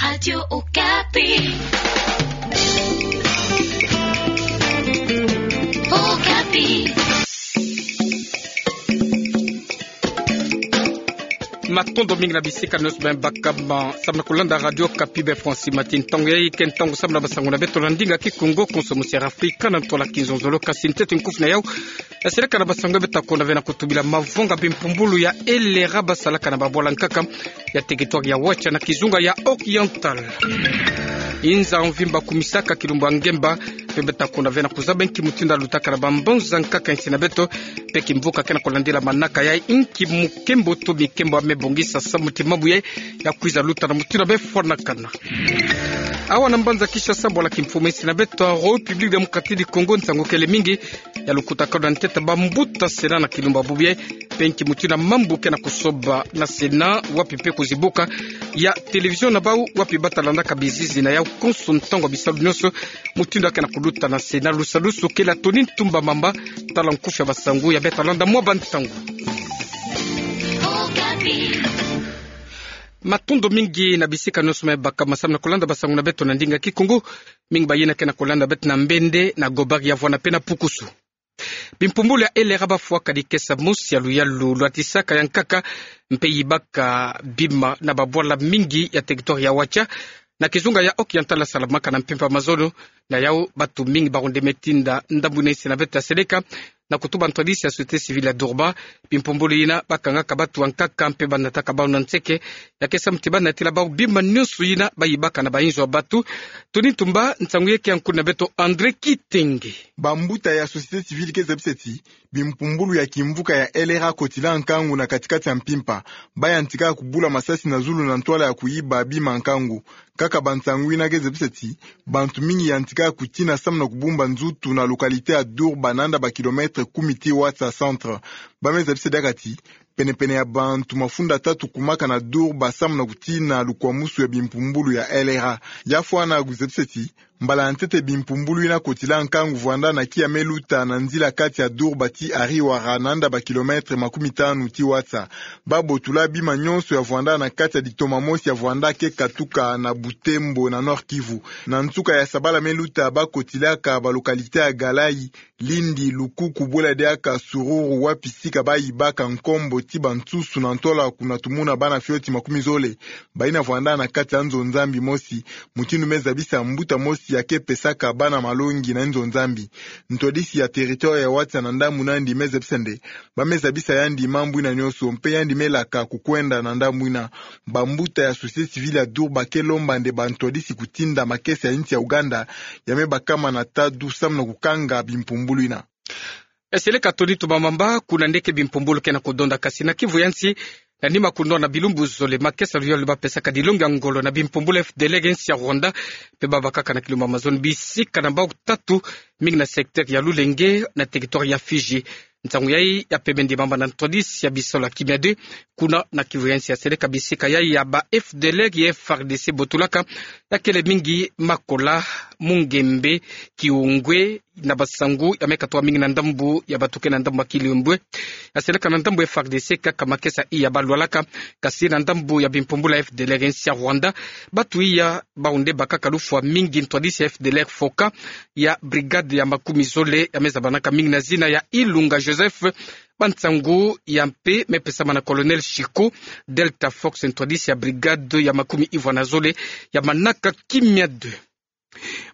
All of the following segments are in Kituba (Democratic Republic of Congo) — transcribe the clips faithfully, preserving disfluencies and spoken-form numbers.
Radio Okapi. Okapi. Matondo mingi na bisika nyonso bima bakama samu na kulanda Radio Okapi bê François Mathy. Ntangu yayi ke ntangu samu na basango na beto na ndinga Kikongo, konso mosi ya Afrika na ntwala kizonzolo. Kasi ntete nkufi na yau, seleka na basango beto ta kwenda ve na kutubila mavwanga bimpumbulu ya LRA basalaka na babwala nkaka ya territoire ya Watia na kizunga ya Oriental. Inza mvimba kumisaka kilumbu ya ngemba, mpe beto ta kwenda ve na kuzaba inki mutindu ya lutaka na bambanza nkaka ya nsi na beto, mpe kimvuka ke na kulandila manaka yayi, inki mukembo to mikembo ya me bongisa samu ti mambu yayi ya kwiza luta na mutindu ya me fwanakana. Awa na mbanza Kinshasa, bwala kimfumu ya nsi na beto ya République Démocratique du Congo, nsangu kele mingi ya lukutakanu na ntete bambuta Sénat na kilumbu ya bubu yayi, mpe inki mutindu ya mambu ke na kusoba na Sénat, wapi mpe kuzibuka ya télévision na bau, wapi bata landaka bizizi na yau, konso ntangu ya bisalu nyonso, mutindu ya ke na kuluta na Sénat. Lusadusu kele ya Tony Ntumba Mamba, tala nkufi ya basango ya beto ta landa mwa bantangu. Matondo mingi na bisika nyonso bima bakama samu na kulanda basango na beto na ndinga Kikongo. Mingi bayina ke na kulanda beto na Mbende, na Gobari ya Vwanda mpe na Pukusu. Bimpumbulu ya LRA bafwaka dikesa mosi ya luyalu lwatisaka ya nkaka mpe yibaka bima na babwala mingi ya territoire ya Watia na kizunga ya Oriental ya salamaka na mpimpa mazono. Na yau, bantu mingi baronde me tinda ndambu yina, nsi na beto ta seleka na kutuba ntwadisi ya société civile ya Durban bimpumbulu yina bakangaka bantu ya nkaka mpe banataka bau na nseke, ya ke samu ti banatila bau bima nyonso yina bayibaka na bayinzo ya bantu. Tony Ntumba, nsangu yayi ke ya nkuna na beto André Kitenge. Bambuta ya société civile ke zabisa ti bimpumbulu ya kimvuka ya LRA kotila nkangu na kati-kati ya mpimpa. Bayantika kubula masasi na zulu na ntwala ya kuyiba bima nkangu. Kaka bansangu yina ke zabisa ti bantu mingi yantika kutina samu na kubumba nzutu na localité ya Durban, nanda ba kilomètre kumi ti Watia centre. Ba me zabisa diaka ti pene-pene ya bantu mafunda tatu kumaka na Durban samu na kutina lukwamusu ya bimpumbulu ya LRA. Ya fwana kuzabisa ti mbala ya ntete bimpumbulu yina kotila nkangu vwanda na kiya me luta na nzila kati ya Durban ti Ariwara, nanda ba kilomètre makumi tanu ti Watia. Ba botula bima nyonso ya vwanda na kati ya ditoma mosi ya vwanda ke katuka na Butembo na Nord-Kivu. Na nsuka ya sabala me luta ba kotilaka ba localité ya Galai, Lindi, Lukuku, bwela diaka Sururu, wapi sika bayibaka nkombo ti bansusu na ntwala kuna tumuna bana fioti makumi zole bayina vwanda na kati ya nzo Nzambi mosi, mutindu me zabisa mbuta mosi ya ke pesaka bana malongi na nzo Nzambi. Ntwadisi ya territoire ya Watia na ndambu na yandi me zabisa nde ba me zabisa yandi mambu yina nyonso, mpe yandi me laka kukwenda na ndambu yina. Bambuta ya société civile ya Durban ke lomba nde bantwadisi kutinda makesa ya insi ya Ouganda ya me bakama na tadu samu na kukanga bimpumbulu yina. Seleka Tony Ntumba Mamba, kuna nde ke bimpumbulu ke na kudonda. Kasi na Kivu ya nsi, na nima kunwana bilumbu zole, makesa ya luyalu bapesaka dilongi ya ngolo na bimpumbulu ya FDLR ya insi ya Rwanda, mpe babakaka na kilumbu ya mazono bisika na bau tatu, mingi na secteur ya Lulenge, na territoire ya Fizi. Nsangu yayi ya pembe ndimama na ntwadisi ya bisalu ya Kimia deux, kuna na Kivu ya nsi. Ya seleka bisika yayi ya ba FDLR ya FARDC botulaka, ya kele mingi Makola, Mungembe, Kiungwe, na basangu ya me katuka mingi na ndambu ya bato ke na ndambu ya Kiungwe. Ya seleka na ndambu ya FARDC kaka makesa iya balwalaka, kasi na ndambu ya bimpumbulu ya FDLR ya insi ya Rwanda, bato iya bau nde bakaka lufwa mingi. Ntwadisi ya FDLR Foka ya brigade ya makumi zole ya me zabanaka mingi na zina ya Ilunga Joseph. Bansangu ya mpe me pesama na Colonel Chico Delta Fox, ntwadisi ya brigade ya makumi ivwa na zole ya manaka Kimia deux.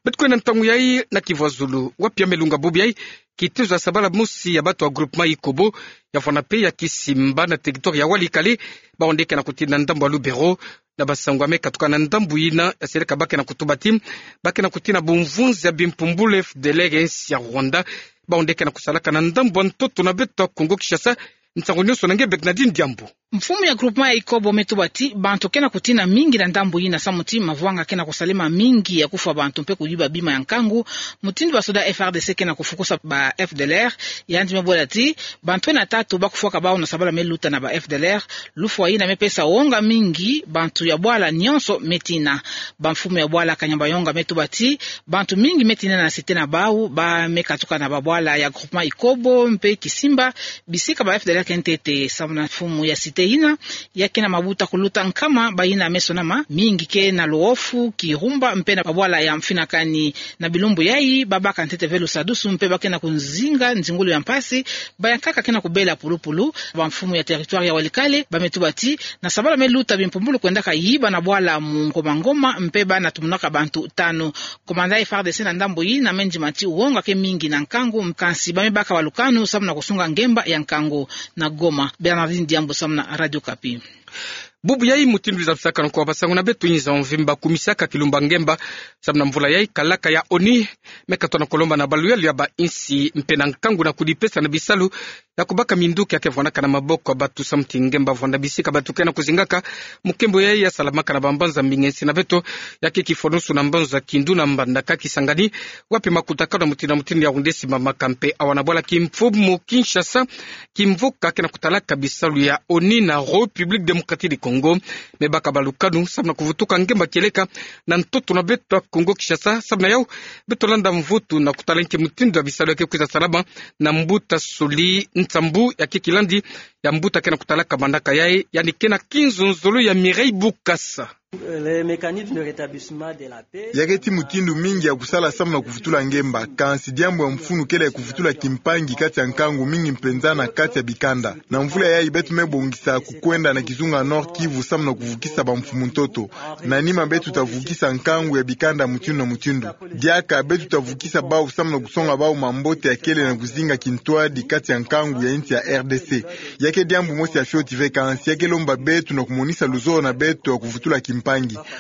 Beto kwenda ntangu yayi na Kivu ya zulu, wapi ya me lunga bubu yayi kitezo ya sabala mosi ya bato ya groupement Ikobo, ya fwana mpe ya Kisimba na territoire ya Walikale, bau nde ke na kutina ndambu ya Lubero. Na basangu ya me katuka na ndambu yina, ya seleka ba ke na kutuba ti ba ke na kutina bumvunzi ya bimpumbulu ya FDLR ya insi ya Rwanda, bau nde ke na kusalaka na ndambu ya ntoto na beto ya Kongo Kinshasa. Nsangu nyonso na nge Bernardine Diambu. Mfumu ya groupement ya Ikobo me tuba ti bantu ke na kutina mingi na ndambu yina samu ti mavwanga ke na kusalema mingi ya kufwa bantu mpe kuyiba bima ya nkangu, mutindu basoda FARDC ke na kufukusa ba FDLR. Yandi me bwela ti bantu ena tatu ba kufwaka bau na sabala me luta na ba FDLR. Lufwa yina me pesa wonga mingi, bantu ya bwala nyonso me tina. Bamfumu ya bwala Kanyabayonga me tuba ti bantu mingi me tinda na cité na bau, ba me katuka na babwala ya groupement Ikobo mpe Kisimba, bisika ba F D L R ke ntete. Samu na mfumu ya cité yina, ya ke na mabuta kuluta nkama, bayina me sonama mingi ke na Luofu, Kirumba mpe na babwala ya Mfinakani. Na bilumbu yayi, babaka ntete ve lusadusu mpe ba ke na kuzinga nzingulu ya mpasi, bayankaka ke na kubela pulupulu. Bamfumu ya territoire ya Walikale ba me tuba ti na sabala me luta bimpumbulu kwendaka yiba na bwala Mungoma Ngoma mpe ba na tumunaka bantu tanu. Komanda ya F A R D C na ndambu yina me ndima ti wonga ke mingi na nkangu, kansi ba me baka balukanu samu na kusunga ngemba ya nkangu. Na Goma, Bernardine Diambu samu na Radio Okapi. Bubu yayi mutindu lwiza lusakana kwa basangu na beto, inza mvimba kumisaka kilumba ngemba samu na mvula yayi, kalaka ya ONU me katona kolomba na baluyalu ya bainsi mpe na nkangu na kudipesa na bisalu ya kubaka minduki ya ke vwanaka na maboko ya batu samu ti ngemba vwanda bisika batu ke na kuzingaka. Mukembo yayi ya salamaka na bambanza mbinga nsi na beto, ya ke kifonusu na mbanza Kindu na Mbandaka, Kisangani, wapi makutakanu ya mutindu na mutindu ya wundesi mamaka mpe awa na bwala kimfumu Kinshasa, kimvuka ke na kutalaka bisalu ya ONU na République Démocratique du Congo me baka balukanu samu na kuvutuka ngemba kieleka na ntoto na beto ya Congo Kinshasa. Samu na yau, beto landa mvutu na kutala nki mutindu ya bisalu ya ke kwiza salama na mbuta Soli Nsambu, ya ke kilandi ya mbuta ke na kutalaka manaka yayi, yandi ke na kinzonzolo ya Mireille Bukasa. Le mécanisme de rétablissement de la paix. Ya ke ti mutindu mingi ya kusala samu na kuvutula ngemba, kansi diambu ya mfunu kele ya kuvutula kimpangi kati ya nkangu, mingi mpenza na kati ya bikanda. Na mvula yayi beto me bongisa kukwenda na kizunga Nord-Kivu samu na kuvukisa bamfumu ntoto. Na nima beto ta vukisa nkangu ya bikanda mutindu na mutindu. Diaka beto ta vukisa bau samu na kusonga bau mambote ya kele na kuzinga kintwadi kati ya nkangu ya insi ya R D C. Ya ke diambu mosi ya fioti ve, kansi ya ke lomba beto na kumonisa luzolo na beto ya kuvutula kimpangi.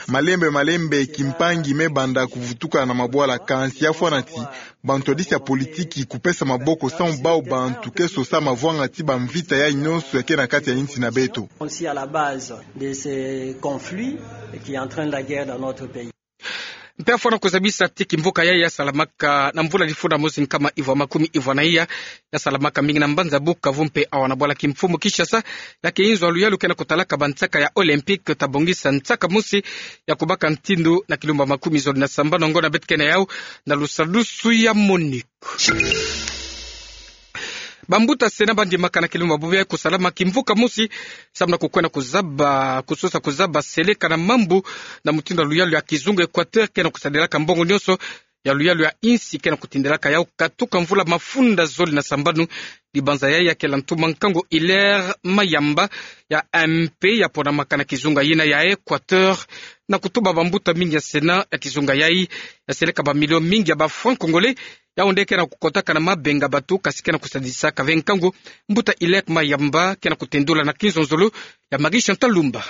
Malembe malembe kimpangi me banda kuvutuka na mabwala, kansi ya fwana ti bantwadisi ya politiki kupesa maboko samu bau bantu ke sosa mavwanga ti bamvita yayi nyonso ya ke na kati ya insi na beto. Aussi à la base de ce conflit qui entraîne la guerre dans notre pays. Mpe ya fwana kuzabisa ti kimvuka yayi ya salamaka na mvula lifunda mosi nkama ivwa makumi ivwa na iya, ya salamaka mingi na mbanza Bukavu mpe awa na bwala kimfumu Kinshasa, ya ke inzo ya luyalu ke na kutalaka bansaka ya Olympique ta bongisa nsaka mosi ya kubaka ntindu na kilumba makumi zole na sambanu, ngiona beto ke na yau na lusadusu ya MONUC. Bambuta Sénat ba ndimaka na kilumba bubu yayi kusalama kimvuka mosi samu na kukwenda kuzaba, kusosa kuzaba seleka na mambu na mutindu ya luyalu ya kizunga Équateur ke na kusadilaka mbongo nyonso ya luyalu ya insi ke na kutindilaka yau katuka mvula mafunda zole na sambanu. Dibanza yayi ya kele ntuma nkangu Hilaire Mayamba ya M P ya ponamaka na kizunga yina ya Équateur, na kutuba bambuta mingi ya Sénat ya kizunga yayi ya seleka bamilio mingi ya ba francs congolais, yau nde ke na kukotaka na mabenga batu, kasi ke na kusadisaka ve nkangu. Mbuta Hilaire Mayamba ke na kutendula na kinzonzolo ya Marie Chantal Lumba.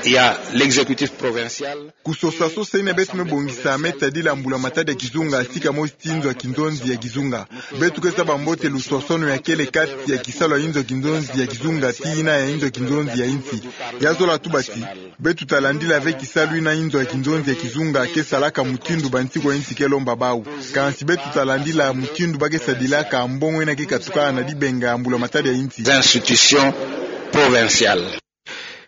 Il y a l'exécutif provincial. Kusosa sosa yina beto me bongisa me tadila mbula matadi ya kizunga, sika mosi ti nzo ya kinzonzi ya kizunga. Beto ke zaba mbote luswaswanu ya kele kati ya kisalu ya inzo ya kinzonzi ya kizunga ti yina ya inzo ya kinzonzi ya insi. Ya zola tuba ti beto ta landila ve kisalu yina inzo ya kinzonzi ya kizunga ke salaka, mutindu bansiku ya insi ke lomba bau. Kansi beto ta landila mutindu ba ke sadilaka mbongo yina ke katuka na dibenga ya mbula matadi ya insi. Institutions provinciales.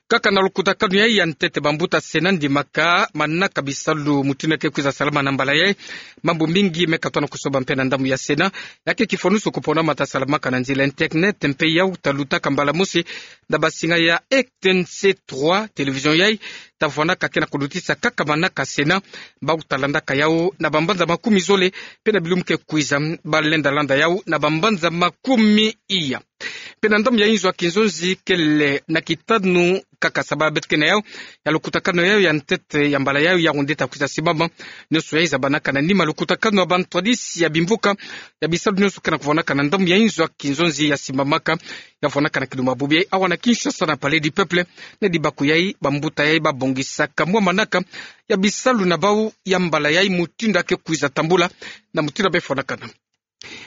Kaka na lukutakanu yayi ya ntete, bambuta Sénat ndimaka manaka bisalu mutindu ya ke kwiza salama na mbala yayi. Mambu mingi me katona kusoba mpe na ndambu ya Sénat, ya ke kifonusu kupona mata salamaka na nzila internet, mpe yau ta lutaka mbala mosi na basinga ya R T N C trois, télévision yayi ta vwanaka ke na kulutisa kaka manaka Sénat. Bau ta landaka yau na bambanza makumi zole, mpe na bilumbu ke kwiza ba lenda landa yau na bambanza makumi iya. Mpe na ndambu ya inzo ya kinzonzi kele na kitanu kaka sabala beto ke na yau ya lukutakanu yayi ya ntete ya mbala yayi, yau nde ta kwiza simama. Nyonso yayi zabanaka na nima lukutakanu ya bantwadisi ya bimvuka ya bisalu nyonso ke na kuvwanaka na ndambu ya inzo ya kinzonzi ya simamaka, ya vwanaka na kilumba bubu yayi awa na Kinshasa na Palais du Peuple. Na dibaku yayi, bambuta yayi ba bongisaka mwa manaka ya bisalu na bau ya mbala yayi, mutindu ya ke kwiza tambula na mutindu ya befwanakana.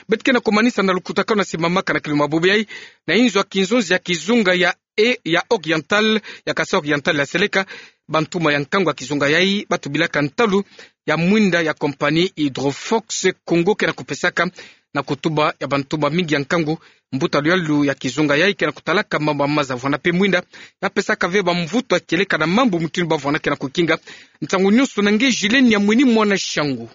Beto ke na kumanisa na lukutakanu ya simamaka na kilumba bubu yayi na inzo ya kinzonzi ya kizunga ya e, ya Oriental, ya Kasaï Oriental ya seleka, bantuma ya nkangu ya kizunga yayi ba tubilaka ntalu ya mwinda ya compagnie Hydrofox Congo ke na kupesaka na kutuba ya bantu bamingi ya nkangu. Mbuta luyalu ya kizunga yayi ke na kutalaka mambu ma maza vwanda mpe mwinda ya pesaka ve bamvutu ya kieleka na mambu mutindu ba vwanda ke na kukinga ntangu nyonso. Na nge Julienne Yamwini Mwana Shangu.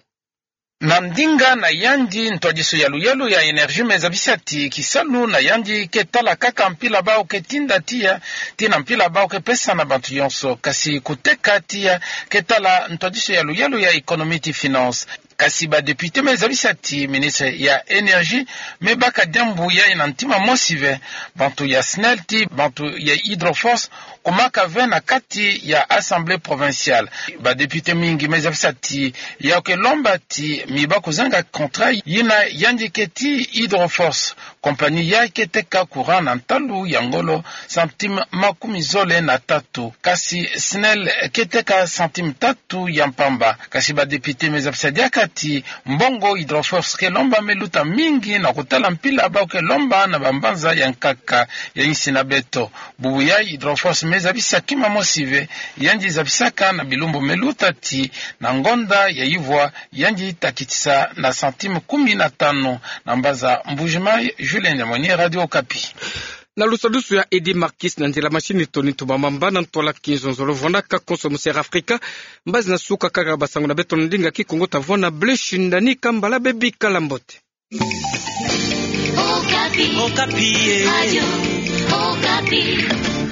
Na ndinga na yandi, ntwadisi ya luyalu ya énergie me zabisa ti kisalu na yandi ke tala kaka mpila bau ke tinda tiya, tii na mpila bau ke pesa na bantu nyonso. Kasi kuteka tiya ke tala ntwadisi ya luyalu ya économie ti finance. Kasi ba député me zabisa ti ministre ya énergie me baka diambu yayi na ntima mosi ve. Bantu ya SNEL tii bantu ya Hydroforce kumaka ve na kati ya assemblée provinciale. Ba député mingi me zabisa ti yau ke lomba ti mi ba kuzanga contrat yina yandi ke tii Hydroforce, compagnie yayi ke teka courant na ntalu ya ngolo centime makumi zole na tatu, kasi SNEL ke teka centime tatu ya mpamba. Kasi ba député me zabisa diaka ti mbongo Hydroforce ke lomba me luta mingi na kutala mpila bau ke lomba na bambanza ya nkaka ya insi na beto. Bubu yayi Hydroforce me zabisa kima mosi ve, yandi zabisaka na bilumbu me luta ti na ngonda ya ivwa yandi ta kitisa na centime kumi na tanu. Na mbanza Mbuji-Mayi, Julienne Yamwini, Radio Okapi. Na lusadusu ya Eddy Marquis, na nzila machine Tony Ntoma Mamba, na ntwala Kinzonzolo vwandaka konso mu Sierra Africa. Mbazi na suka kaka basango na beto na ndinga Kikongo, ta vwanda blanche ndani kambala, bebikala mbote. Okapi. Okapi, eh. Radio Okapi.